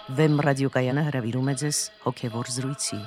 Վեմ ռադիոկայանը հրավիրում է ձեզ հոգևոր զրույցի։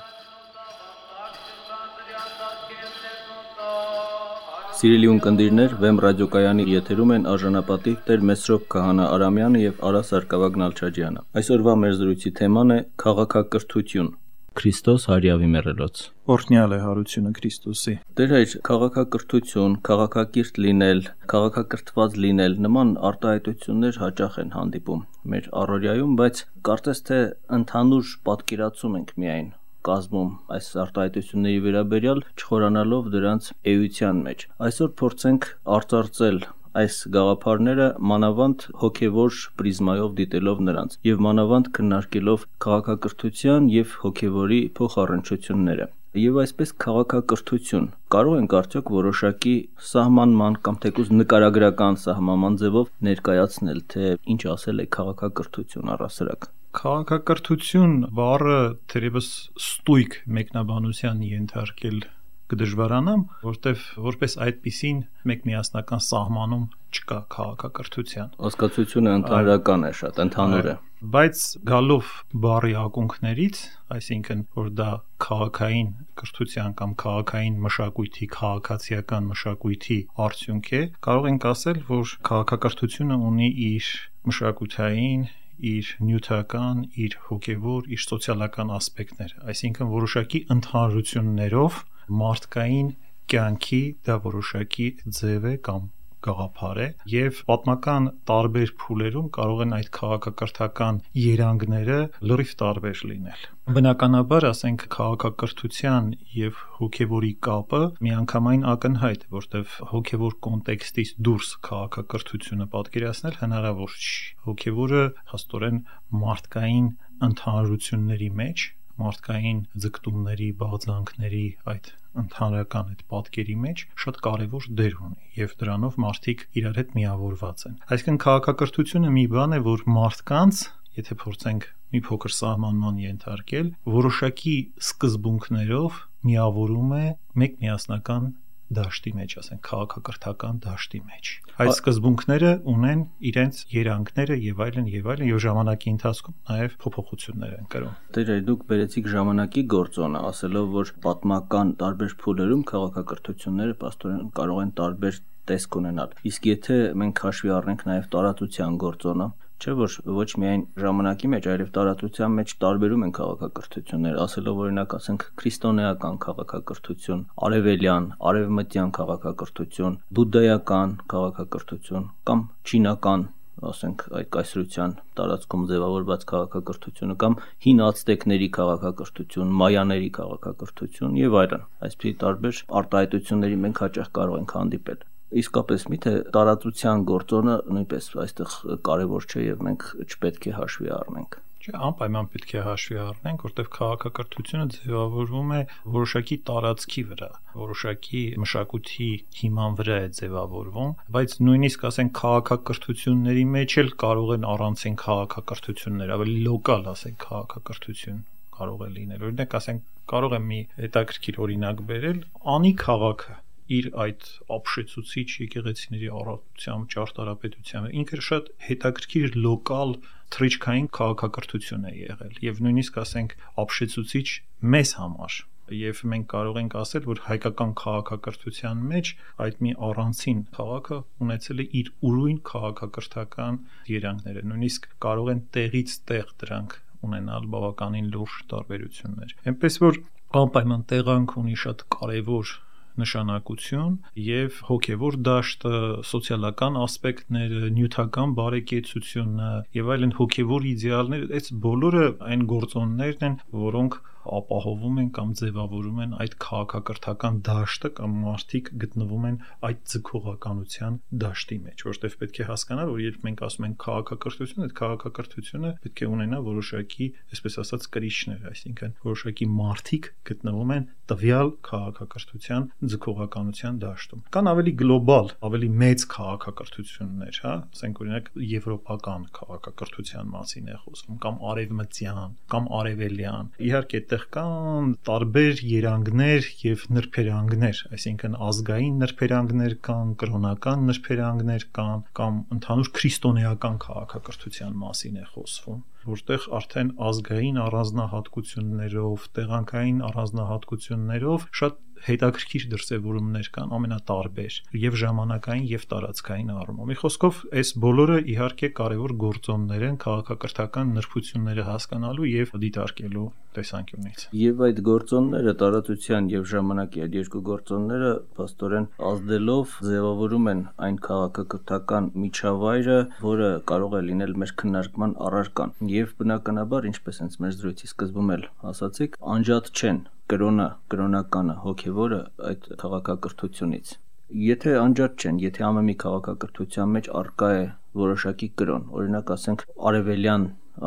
Սիրելի ունկնդիրներ, Վեմ ռադիոկայանի եթերում են արժանապատիվ Տեր Մեսրոպ Քահանա Արամյանը եւ Արա Սարգսակյան Նալչաջյանը։ Այսօրվա մեր զրույցի թեման է քաղաքակրթություն։ Քրիստոս հարյավի մեռելոց։ Օրհնյալ է հարությունը Քրիստոսի։ Տեր հայր, քաղաքակրթություն, քաղաքակիրթ լինել, քաղաքակրթված լինել նման արտահայտություններ հաճախ են հանդիպում մեր առօրյայում, բայց կարծես թե ընդհանուր պատկերացում ենք միայն կազմում այս արտահայտությունների վերաբերյալ, չխորանալով դրանց էության մեջ։ Այսօր փորձենք արծարծել այս գաղափարները մանավանդ հոգևոր պրիզմայով դիտելով նրանց եւ մանավանդ քննարկելով քաղաքակրթության եւ հոգևորի փոխառնչությունները։ Եվ այսպես քաղաքակրթություն կարող ենք արդյոք որոշակի սահմանման կամ թեկուզ նկարագրական սահմանման ձևով ներկայացնել, թե ինչ ասել է քաղաքակրթություն առասարակ։ Քաղաքակրթություն բառը թերևս ստույգ մեկնաբանության ենթարկել կդժվարանամ, որտեվ որպես այդպիսին մեկ միասնական սահմանում չկա քաղաքակրթության։ Հասկացությունը ընդհանրական է, շատ ընդհանուր է։ Բայց գալով բառի ակունքներից, այսինքն որ դա քաղաքային կրթության կամ քաղաքային մշակույթի, քաղաքացիական մշակույթի արդյունք է, կարող ենք ասել, որ քաղաքակրթությունը ունի իր մշակութային, իր նյութական, իր հոգևոր, իր սոցիալական ասպեկտները, այսինքն որոշակի ընդհանրություններով մարդկային կյանքի դա որոշակի ձև է կամ գաղափար է եւ պատմական տարբեր փուլերում կարող են այդ քաղաքակրթական երանգները լրիվ տարբեր լինել։ Բնականաբար, ասենք, քաղաքակրթության եւ հոգևորի կապը միանգամայն ակնհայտ է, որտեվ հոգևոր կոնտեքստից դուրս քաղաքակրթությունը պատկերացնել հնարավոր չի։ Հոգևորը հաստորեն մարդկային ընդհանրությունների մեջ, մարդկային ձգտումների, բաղձանքների այդ ընդհանրական այդ պատկերի մեջ շատ կարևոր դեր ունի եւ դրանով մարդիկ իրար հետ միավորված են։ Այսինքն քաղաքակրթությունը մի բան է, որ մարդկանց, եթե փորձենք մի փոքր սահմանման ենթարկել, որոշակի սկզբունքներով միավորում է մեկ միասնական դաշտի մեջ, ասենք քաղաքակրթական դաշտի մեջ։ Այդ սկզբունքները ունեն իրենց երանգները եւ այլն եւ ժամանակի ընթացքում նաեւ փոփոխություններ են կրում։ Տեր դուք բերեցիք ժամանակի գործոնը, ասելով, որ պատմական տարբեր փուլերում քաղաքակրթությունները պաստորեն կարող են տարբեր տեսք ունենալ։ Իսկ եթե մենք հաշվի առնենք նաեւ տարածության գործոնը, չէ՞ որ ոչ միայն ժամանակի մեջ, այլև տարածության մեջ տարբերում են քաղաքակրթությունները, ասելով օրինակ, ասենք, քրիստոնեական քաղաքակրթություն, արևելյան, արևմտյան քաղաքակրթություն, բուդդայական քաղաքակրթություն կամ չինական, ասենք, այդ կայսրության տարածքում ձևավորված քաղաքակրթությունը կամ հին ացտեկների քաղաքակրթություն, մայաների քաղաքակրթություն եւ այլն։ Այսպիսի տարբեր արտահայտությունների մենք հաճախ կարող ենք հանդիպել։ Իսկապես միթե տարածության գործոնը նույնպես այստեղ կարևոր չէ եւ մենք չպետք է հաշվի առնենք։ Չէ, անպայման պետք է հաշվի առնենք, որտեղ քաղաքակրթությունը ձևավորվում է որոշակի տարածքի վրա, որոշակի մշակույթի հիման վրա է ձևավորվում, բայց նույնիսկ ասենք քաղաքակրթությունների մեջ էլ կարող են առանցին քաղաքակրթություններ, ավելի լոկալ, ասենք, քաղաքակրթություն կարող է լինել։ Օրինակ, ասենք, կարող եմ մի հետաքրքիր օրինակ բերել, Անի քաղաքը իր այդ ապշեցուցիչ եկեղեցիների առատությամբ, ճարտարապետությամբ ինքը շատ հետաքրքիր լոկալ թռիչքային քաղաքակրթություն է եղել եւ նույնիսկ ասենք ապշեցուցիչ մեզ համար եւ մենք կարող ենք ասել, որ հայկական քաղաքակրթության մեջ այդ մի առանցին քաղաքը ունեցել է իր ուրույն քաղաքակրթական երանգները, նույնիսկ կարող են տեղից տեղ դրանք ունենալ բավականին լուրջ տարբերություններ։ Այնպես որ անպայման տեղանք ունի շատ կարեւոր նշանակություն եւ հոգեվոր դաշտը, սոցիալական ասպեկտները, նյութական բարեկեցությունը եւ այլն հոգեվոր իդեալները, այս բոլորը այն գործոններն են, որոնք ապահովում են կամ ձևավորում են այդ քաղաքակրթական դաշտը կամ մարդիկ գտնվում են այդ ձգողականության դաշտի մեջ, որտեղ պետք է հասկանալ, որ երբ մենք ասում ենք քաղաքակրթություն, այդ քաղաքակրթությունը պետք է ունենա որոշակի, այսպես ասած, կրիչներ, այսինքն որոշակի մարդիկ գտնվում են տվյալ քաղաքակրթության ձգողականության դաշտում։ Կան ավելի գլոբալ, ավելի մեծ քաղաքակրթություններ, հա, ասենք օրինակ եվրոպական քաղաքակրթության մասին է խոսում, կամ արևմտյան, կամ արևելյան։ Իհարկե այդտեղ կան տարբեր երանգներ եւ նրբերանգներ, այսինքն ազգային նրբերանգներ կան, կրոնական նրբերանգներ կան, կամ ընդհանուր քրիստոնեական քաղաքակրթության մասին է խոսվում, որտեղ արդեն ազգային առանձնահատկություններով, տեղանքային առանձնահատկություններով շատ հետաքրքիր դրսևորումներ կան, ամենատարբեր եւ ժամանակային եւ տարածքային առումով։ Մի խոսքով, այս բոլորը իհարկե կարևոր գործոններ են քաղաքակրթական նրբությունները հասկանալու եւ դիտարկելու տեսանկյունից։ Եվ այդ գործոնները, տարածության եւ ժամանակի այդ երկու գործոնները փաստորեն ազդելով ձևավորում են այն քաղաքակրթական միջավայրը, որը կարող է լինել մեր քննարկման առարկան։ Եվ բնականաբար, ինչպես հենց մեր զրույցի սկզբում էլ ասացիք, անջատ չեն կրոնը, կրոնականը, հոգևորը այդ քաղաքակրթությունից։ Եթե անջատ չեն, եթե ամեն մի քաղաքակրթության մեջ առկա է որոշակի կրոն, օրինակ ասենք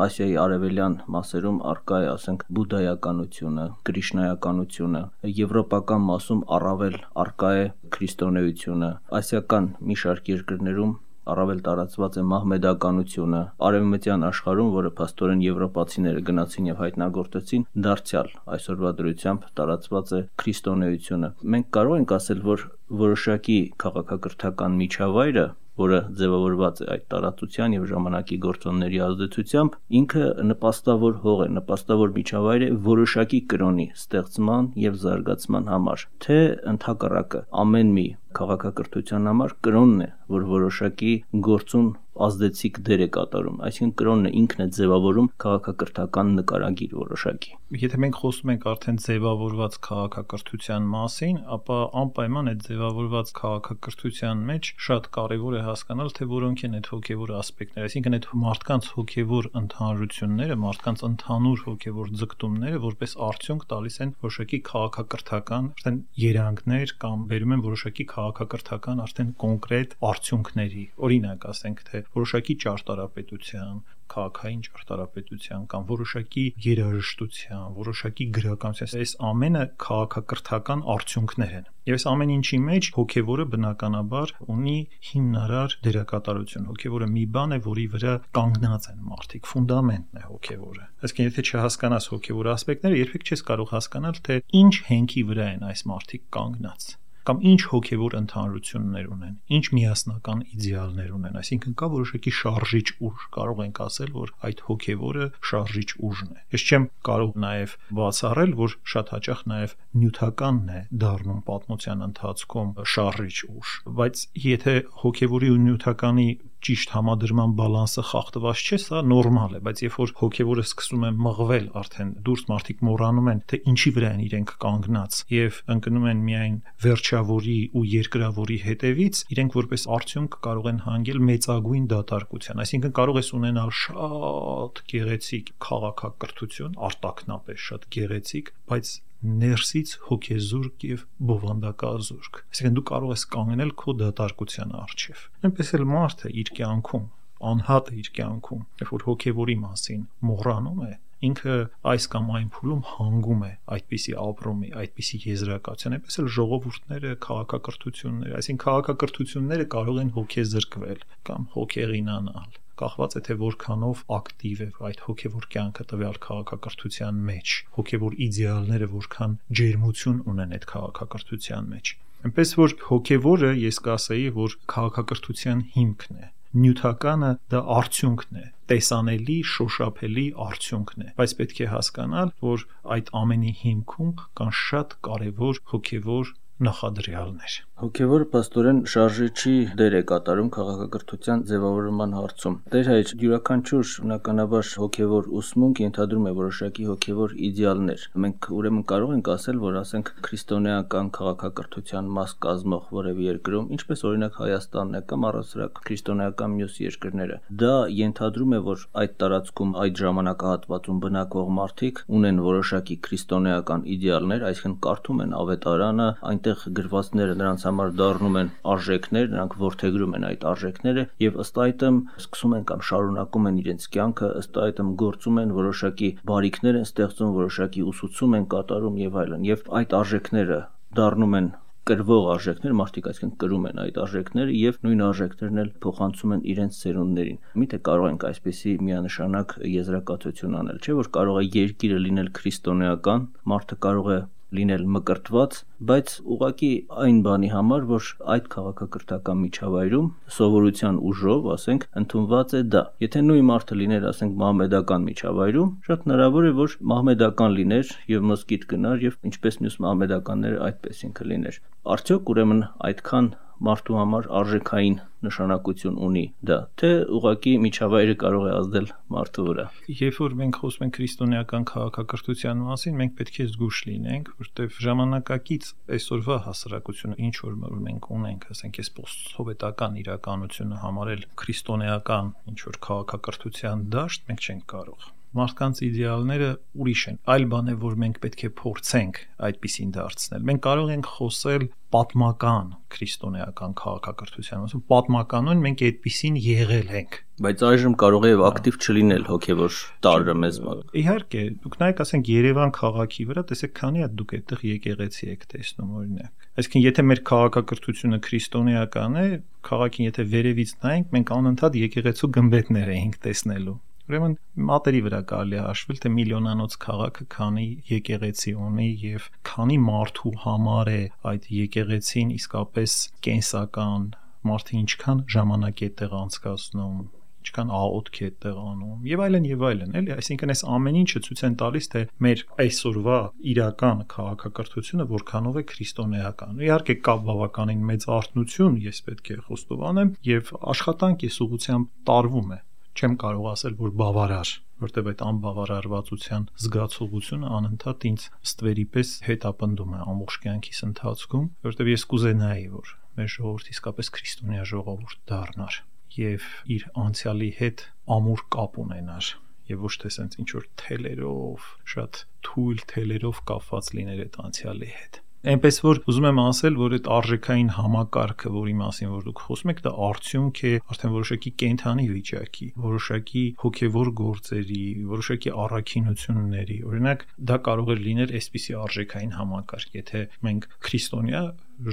Ասիայի արևելյան մասերում առկա է, ասենք, բուդդայականությունը, կրիշնայականությունը, եվրոպական մասում առավել առկա է քրիստոնեությունը, ասիական մի շարք երկրներում առավել տարածված է մահմեդականությունը, արևմտյան աշխարհում, որը փաստորեն եվրոպացիները գնացին եւ հայտնագործեցին, դարձյալ այսօրվա դրությամբ տարածված է քրիստոնեությունը։ Մենք կարող ենք ասել, որ որոշակի քաղաքակրթական միջավայրը, որը ձևավորված է այդ տարածության եւ ժամանակի գործոնների ազդեցությամբ, ինքը նպաստավոր հող է, նպաստավոր միջավայր է որոշակի կրոնի ստեղծման եւ զարգացման համար, թե ընդհակառակը ամեն մի քաղաքակրթության համար կրոնն է, որ որոշակի գործում ազդեցիկ դեր է կատարում, այսինքն կրոնն է ինքն է ձևավորում քաղաքակրթական նկարագիր որոշակի։ Եթե մենք խոսում ենք արդեն ձևավորված քաղաքակրթության մասին, ապա անպայման այդ ձևավորված քաղաքակրթության մեջ շատ կարևոր է հասկանալ, թե որոնք են այդ հոգևոր ասպեկտները, այսինքն այդ մարդկանց հոգևոր ընդհանրությունները, մարդկանց ընդհանուր հոգևոր ձգտումները որպես արդյունք տալիս են որոշակի քաղաքակրթական արդեն երանգներ կամ բերում են որոշակի քաղաքակրթական արդեն կոնկրետ արդյունքների։ Օրինակ ասենք, թե որոշակի ճարտարապետության, քաղաքային ճարտարապետության կամ որոշակի երաժշտության, որոշակի գրականության, այս ամենը քաղաքակրթական արդյունքներ են։ Եվ այս ամեն ինչի մեջ հոգևորը բնականաբար ունի հիմնարար դերակատարություն։ Հոգևորը մի բան է, որի վրա կանգնած են մարդիկ, ֆունդամենտն է հոգևորը։ Այսինքն, եթե չհասկանաս հոգևոր ասպեկտները, երբեք չես կարող հասկանալ, թե ինչ հենքի վրա են այս մարդիկ կանգնած, կամ ինչ հոգևոր ընդհանրություններ ունեն, ինչ միասնական իդեալներ ունեն, այսինքն կա որոշակի շարժիչ ուժ, կարող ենք ասել, որ այդ հոգևորը շարժիչ ուժն է։ Ես չեմ կարող նաև բացառել, որ շատ հաճախ նաև նյութականն է դառնում պատմության ընթացքում շարժիչ ուժ, բայց եթե հոգևորի ու նյութականի ճիշտ համադրման բալանսը խախտված չէ, սա նորմալ է, բայց երբ որ հոգևորը սկսում է մղվել, արդեն դուրս մարդիկ մոռանում են, թե ինչի վրա են իրենք կանգնած եւ ընկնում են միայն վերջավորի ու երկրավորի հետևից, իրենք որպես արդյունք կարող են հանգել մեծագույն դատարկության, այսինքն կարող ես ունենալ շատ գեղեցիկ քաղաքակրթություն, արտաքնապես շատ գեղեցիկ, բայց ներսից հոգեզուրկ եւ բովանդակազուրկ։ Այսինքն դու կարող ես կանգնել քո դատարկության առջև։ Այնպես էլ մարդը իր կյանքում, անհատը իր կյանքում, երբ որ հոգեվորի մասին մոռանում է, ինքը այս կամ այն փուլում հանգում է այդպիսի ապրումի, այդպիսի եզրակացության, այնպես էլ ժողովուրդները, քաղաքակրթությունները, այսինքն քաղաքակրթությունները կարող են հոգեզրկվել կամ հոգեղինանալ, կախված է թե որքանով ակտիվ է այդ հոգևոր կյանքը տվյալ քաղաքակրթության մեջ, հոգևոր իդեալները որքան ջերմություն ունեն այդ քաղաքակրթության մեջ։ Այնպես որ հոգևորը, ես կասեի, որ քաղաքակրթության հիմքն է, նյութականը դա արդյունքն է, տեսանելի, շոշափելի արդյունքն է, բայց պետք է հասկանալ, որ այդ ամենի հիմքում կան շատ կարևոր հոգևոր նախադրյալներ։ Հոգևորը պաստորեն շարժիչի դեր է կատարում քաղաքակրթության ձևավորման հարցում։ Տեր հայր, յուրաքանչյուր բնականաբար հոգևոր ուսմունք ենթադրում է որոշակի հոգևոր իդեալներ։ Մենք ուրեմն կարող ենք ասել, որ ասենք քրիստոնեական քաղաքակրթության մաս կազմող որևէ երկրում, ինչպես օրինակ Հայաստանն է կամ առասարակ քրիստոնեական մյուս երկրները, դա ենթադրում է, որ այդ տարածքում, այդ ժամանակահատվածում բնակվող մարդիկ ունեն որոշակի քրիստոնեական իդեալներ, այսինքն կարդում են ավետարանը, այնտեղ գրվածները նրանց համար դառնում են արժեքներ, նրանք որդեգրում են այդ արժեքները եւ ըստ այդմ սկսում են կամ շարունակում են իրենց կյանքը, ըստ այդմ գործում են, որոշակի բարիքներ են ստեղծում, որոշակի ուսուցում են կատարում եւ այլն, եւ այդ արժեքները դառնում են կրվող արժեքներ, մարդիկ այսինքն կրում են այդ արժեքները եւ նույն արժեքներն էլ փոխանցում են իրենց ծերունդներին։ Միթե կարող ենք այսպիսի միանշանակ եզրակացություն անել, չէ՞ որ կարող է երկիրը լինել քրիստոնեական, մարդը կարող է լինել մկրտված, բայց ուղղակի այն բանի համար, որ այդ քաղաքակրթական միջավայրում սովորության ուժով, ասենք, ընդունված է դա։ Եթե նույն մարդը լիներ, ասենք, մահմեդական միջավայրում, շատ հնարավոր է, որ մահմեդական լիներ եւ մոսկիթ գնար եւ ինչպես մյուս մահմեդականները այդպես ինքը լիներ։ Արդյոք ուրեմն այդքան մարդու համար արժեքային նշանակություն ունի դա, թե ուղղակի միջավայրը կարող է ազդել մարդու վրա։ Երբ որ մենք խոսում ենք քրիստոնեական քաղաքակրթության մասին, մենք պետք է զգույշ լինենք, որտեղ ժամանակակից այսօրվա հասարակությունը ինչ որ մենք ունենք, ասենք, այս պոստսովետական իրականությունը համարել քրիստոնեական ինչ որ քաղաքակրթության դաշտ, մենք չենք կարող։ Մարդկանց իդեալները ուրիշ են։ Այլ բան է, որ մենք պետք է փորձենք այդպիսին դարձնել։ Մենք կարող ենք խոսել պատմական քրիստոնեական քաղաքակրթության մասին, պատմականորեն մենք այդպիսին եղել ենք։ Բայց այժմ կարող է եւ ակտիվ չլինել հոգեվոր տարրը մեզ մոտ։ Իհարկե, դուք նայեք, ասենք, Երևան քաղաքի վրա, տեսեք, քանի է դուք այդտեղ եկեղեցի եք տեսնում, օրինակ։ Այսինքն, եթե մեր քաղաքակրթությունը քրիստոնեական է, քաղաքին եթե վերևից նայենք, մենք անընդհատ եկեղեցու գմբեթներ էինք տեսնելու։ Ուրեմն մատերի վրա կարելի է հաշվել, թե միլիոնանոց քաղաքը քանի եկեղեցի ունի եւ քանի մարդու համար է այդ եկեղեցին իսկապես կենսական, մարդը ինչքան ժամանակ է տեղ անցկացնում, ինչքան աղոթք է տեղ անում եւ այլն, էլի, այսինքն այս ամեն ինչը ցույց են տալիս, թե մեր այսօրվա իրական քաղաքակրթությունը որքանով է քրիստոնեական։ Իհարկե կա բավականին մեծ արթնություն, ես պետք է խոստովանեմ, եւ աշխատանք էս ուղղությամբ տարվում է։ Չեմ կարող ասել, որ բավարար, որտեղ այդ անբավարարվածության զգացողությունը անընդհատ ինձ ստվերի պես հետապնդում է ամբողջ կյանքիս ընթացքում, որտեղ ես կուզենայի, որ մեր ժողովուրդը իսկապես քրիստոնյա ժողովուրդ դառնար եւ իր անցյալի հետ ամուր կապ ունենար եւ ոչ թե sense ինչ որ թելերով, շատ թույլ թելերով կապված լիներ այդ անցյալի հետ։ Այնպես որ ուզում եմ ասել, որ այդ արժեքային համակարգը, որի մասին որ դուք խոսում եք, դա արդյունք է արդեն որոշակի կենթանի վիճակի, որոշակի հոգևոր գործերի, որոշակի առաքինությունների։ Օրինակ, դա կարող է լինել այսպիսի արժեքային համակարգ, եթե մենք քրիստոնյա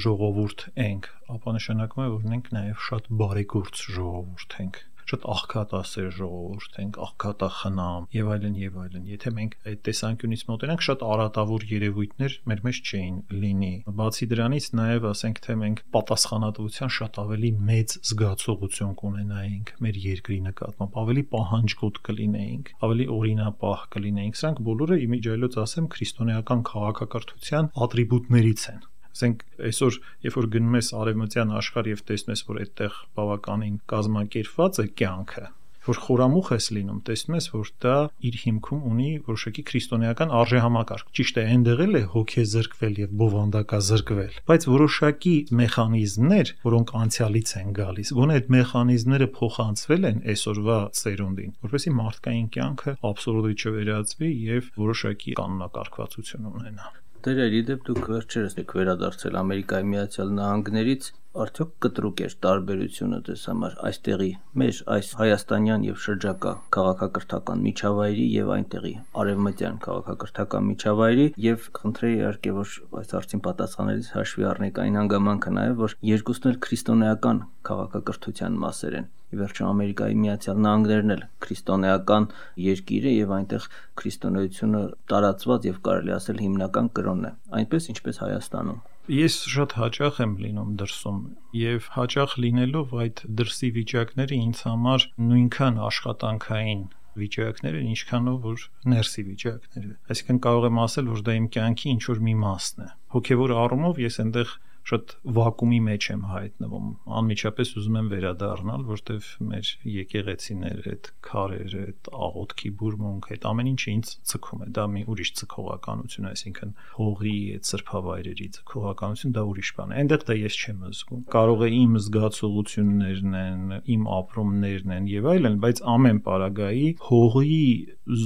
ժողովուրդ ենք, ապա նշանակում է, որ մենք նաև շատ բարեգործ ժողովուրդ ենք, շատ աղքատասեր ժողովուրդ ենք, աղքատախնամ եւ այլն։ Եթե մենք այդ տեսանկյունից մոտենանք, շատ արատավոր երևույթներ մեր մեջ չէին լինի։ Բացի դրանից նաեւ ասենք, թե մենք պատասխանատվության շատ ավելի մեծ զգացողություն կունենայինք մեր երկրի նկատմամբ, ավելի պահանջկոտ կլինեինք, ավելի օրինապահ կլինեինք։ Սրանք բոլորը իմիջիայլոց ասեմ քրիստոնեական քաղաքակրթության ատրիբուտներից են։ Ասենք այսօր, երբ որ գնում ես արևմտյան աշխարհ եւ տեսնում ես, որ այդտեղ բավականին կազմակերպված է կյանքը, որ խորամուխ ես լինում, տեսնում ես, որ դա իր հիմքում ունի որոշակի քրիստոնեական արժեհամակարգ։ Ճիշտ է, այնտեղ էլ է հոգեզրկվել եւ բովանդակազրկվել, բայց որոշակի մեխանիզմներ, որոնք անցյալից են գալիս, գոնե այդ մեխանիզմները փոխանցվել են այսօրվա ծերունդին, որովհետեւ մարդկային կյանքը աբսուրդի չվերածվի եւ որոշակի կանոնակարգվածություն ունենա։ Դերերի դեպ դուք վերջերս եք վերադարձել Ամերիկայի Միացյալ Նահանգներից, արդյոք կտրուկ էր տարբերությունը դες համար այստեղի մեր այս հայաստանյան եւ շրջակա քաղաքակրթական միջավայրի եւ այնտեղի արևմտյան քաղաքակրթական միջավայրի եւ խնդրեի իհարկե որ այս հարցին պատասխանելիս հաշվի առնեք այն հանգամանքը նաեւ որ երկուսն էլ քրիստոնեական քաղաքակրթության մասեր են։ Ի վերջո Ամերիկայի Միացյալ Նահանգներն էլ քրիստոնեական երկիր է եւ այնտեղ քրիստոնեությունը տարածված եւ կարելի ասել հիմնական կրոնն է, այնպես ինչպես Հայաստանում։ Ես շատ հաճախ եմ լինում դրսում եւ հաճախ լինելով այդ դրսի վիճակները ինձ համար նույնքան աշխատանքային վիճակներ են, ինչքանով որ ներսի վիճակները։ Այսինքն կարող եմ ասել, որ դա իմ կյանքի ինչ որ մի մասն է։ Հոգեվոր առումով ես այնտեղ շատ վակուումի մեջ եմ հայտնվում։ Անմիջապես ուզում եմ վերադառնալ, որտեվ մեր եկեղեցիները, այդ քարերը, այդ աղոթքի բուրմունքը, այդ ամեն ինչը ինձ ցկում է։ Դա մի ուրիշ ցկողականություն է, այսինքն հողի, այդ սրբավայրերի ցկողականություն, դա ուրիշ բան է։ Այնտեղ դա ես չեմ զգում։ Կարող է իմ զգացողություններն են, իմ ապրումներն են եւ այլն, բայց ամեն պարագայի հողի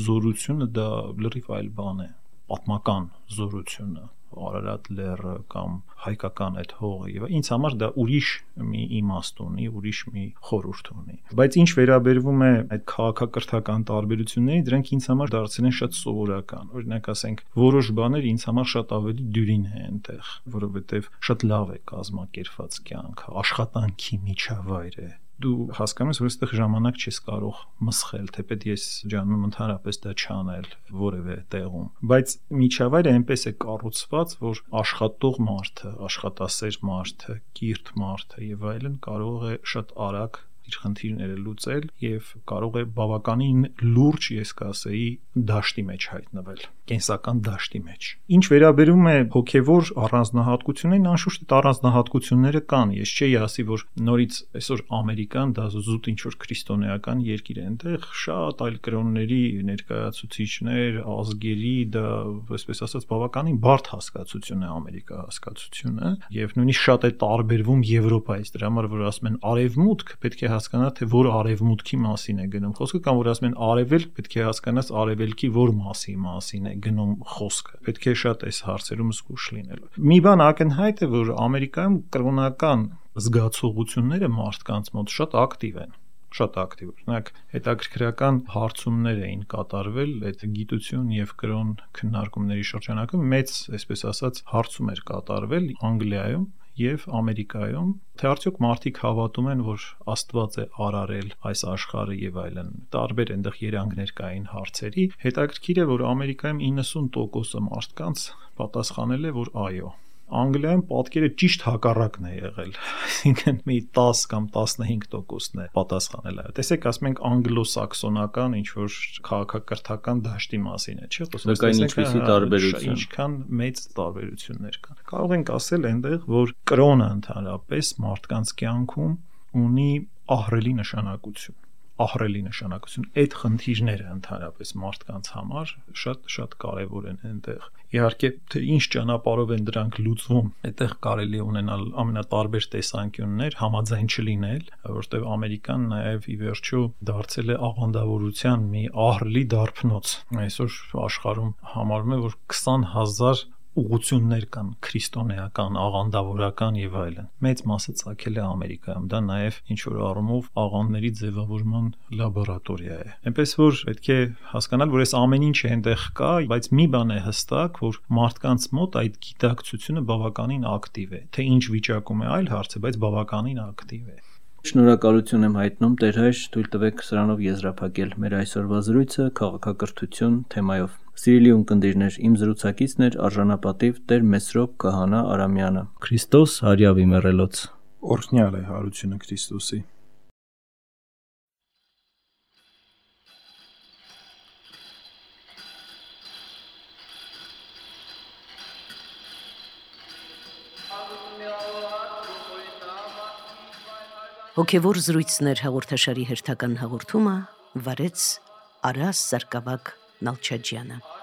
զորությունը դա լրիվ այլ բան է։ Պատմական զորությունը, Արարատ լեռը կամ հայկական այդ հողը եւ ինձ համար դա ուրիշ մի իմաստ ունի, ուրիշ մի խորհուրդ ունի։ Բայց ինչ վերաբերվում է այդ քաղաքակրթական տարբերություններին, դրանք ինձ համար դարձել են շատ սովորական։ Օրինակ ասենք, որոշ բաներ ինձ համար շատ ավելի դյուրին է այնտեղ, որովհետեւ շատ լավ է կազմակերպված կյանքը, աշխատանքի միջավայր է։ Դու հասկանում ես, որ այստեղ ժամանակ չես կարող մսխել, թեպետ ես ջանում եմ ընդհանրապես դա չանել որևէ տեղում։ Բայց միջավայրը այնպես է կառուցված, որ աշխատող մարդը, աշխատասեր մարդը, կիրթ մարդը եւ այլն կարող է շատ արագ իր խնդիրները լուծել եւ կարող է բավականին լուրջ, ես կասեի, դաշտի մեջ հայտնվել, կենսական դաշտի մեջ։ Ինչ վերաբերում է հոգեվոր առանձնահատկություններին, անշուշտ այդ առանձնահատկությունները կան։ Ես չէի ասի, որ նորից այսօր Ամերիկան դա զուտ ինչ որ քրիստոնեական երկիր է, այնտեղ շատ այլ կրոնների ներկայացուցիչներ, ազգերի, դա այսպես ասած բավականին բարդ հասկացություն է Ամերիկա հասկացությունը եւ նույնիսկ շատ է տարբերվում Եվրոպայից։ Դրա համար որ ասում են արևմուտք, պետք է հասկանա թե որ արևմուտքի մասին է գնում խոսքը կամ որ ասում են արևելք, պետք է հասկանաս արևելքի որ մասին է գնում խոսքը։ Պետք է շատ այս հարցերում զգուշ լինել։ Մի բան ակնհայտ է, որ Ամերիկայում կրոնական զգացողությունները մարդկանց մոտ շատ ակտիվ են, շատ ակտիվ։ Օրինակ հետաքրքրական հարցումներ էին կատարվել այդ գիտություն եւ կրոն քննարկումների շրջանակում մեծ, այսպես ասած, հարցում էր կատարվել Անգլիայում եւ Ամերիկայում, թե արդյոք մարդիկ հավատում են, որ Աստված է արարել այս աշխարհը եւ այլն։ Տարբեր այնտեղ երանգներ կային հարցերի։ Հետաքրքիր է, որ Ամերիկայում 90% մարդկանց պատասխանել է, որ այո։ Անգլիայում պատկերը ճիշտ հակառակն է եղել, այսինքն մի 10 կամ 15%-ն է պատասխանել այո։ Տեսեք, ասում ենք անգլոսաքսոնական ինչ որ քաղաքակրթական դաշտի մասին է, չէ՞, խոսում ինչպիսի տարբերություն, ինչքան մեծ տարբերություններ կան։ Կարող ենք ասել այնտեղ, որ կրոնը ընդհանրապես մարդկանց կյանքում ունի ահռելի նշանակություն։ Այդ խնդիրները ընդհանրապես մարդկանց համար շատ կարևոր են այնտեղ։ Իհարկե, թե ինչ ճանապարհով են դրանք լուծվում, այդտեղ կարելի է ունենալ ամենատարբեր տեսանկյուններ, համաձայն չլինել, որովհետև Ամերիկան նաև ի վերջո դարձել է աղանդավորության մի ահռելի դարբնոց։ Այսօր աշխարհում համարվում է, որ 20,000 ուղղություններ կան քրիստոնեական, աղանդավորական եւ այլն։ Մեծ մասը ցակել է Ամերիկայում, դա նաեւ ինչ որ առումով աղանդների ձևավորման լաբորատորիա է։ Այնպես որ պետք է հասկանալ, որ այս ամեն ինչը այնտեղ կա, բայց մի բան է հստակ, որ մարդկանց մոտ այդ գիտակցությունը բավականին ակտիվ է։ Թե ինչ վիճակում է այլ հարց է, բայց բավականին ակտիվ է։ Շնորհակալություն եմ հայտնում Տեր հայր, թույլ տվեք սրանով եզրափակել մեր այսօրվա զրույցը քաղաքակրթություն թեմայով։ Սիրելի ունկնդիրներ, իմ զրուցակիցն էր արժանապատիվ Տեր Մեսրոպ Քահանա Արամյանը։ Քրիստոս հարյավի մեռելոց։ Օրհնյալ է հարությունը Քրիստոսի։ Հոգևոր զրույցներ հաղորդաշարի հերթական հաղորդումը վարեց Արաս Սարգսակ Նալչաջյանը։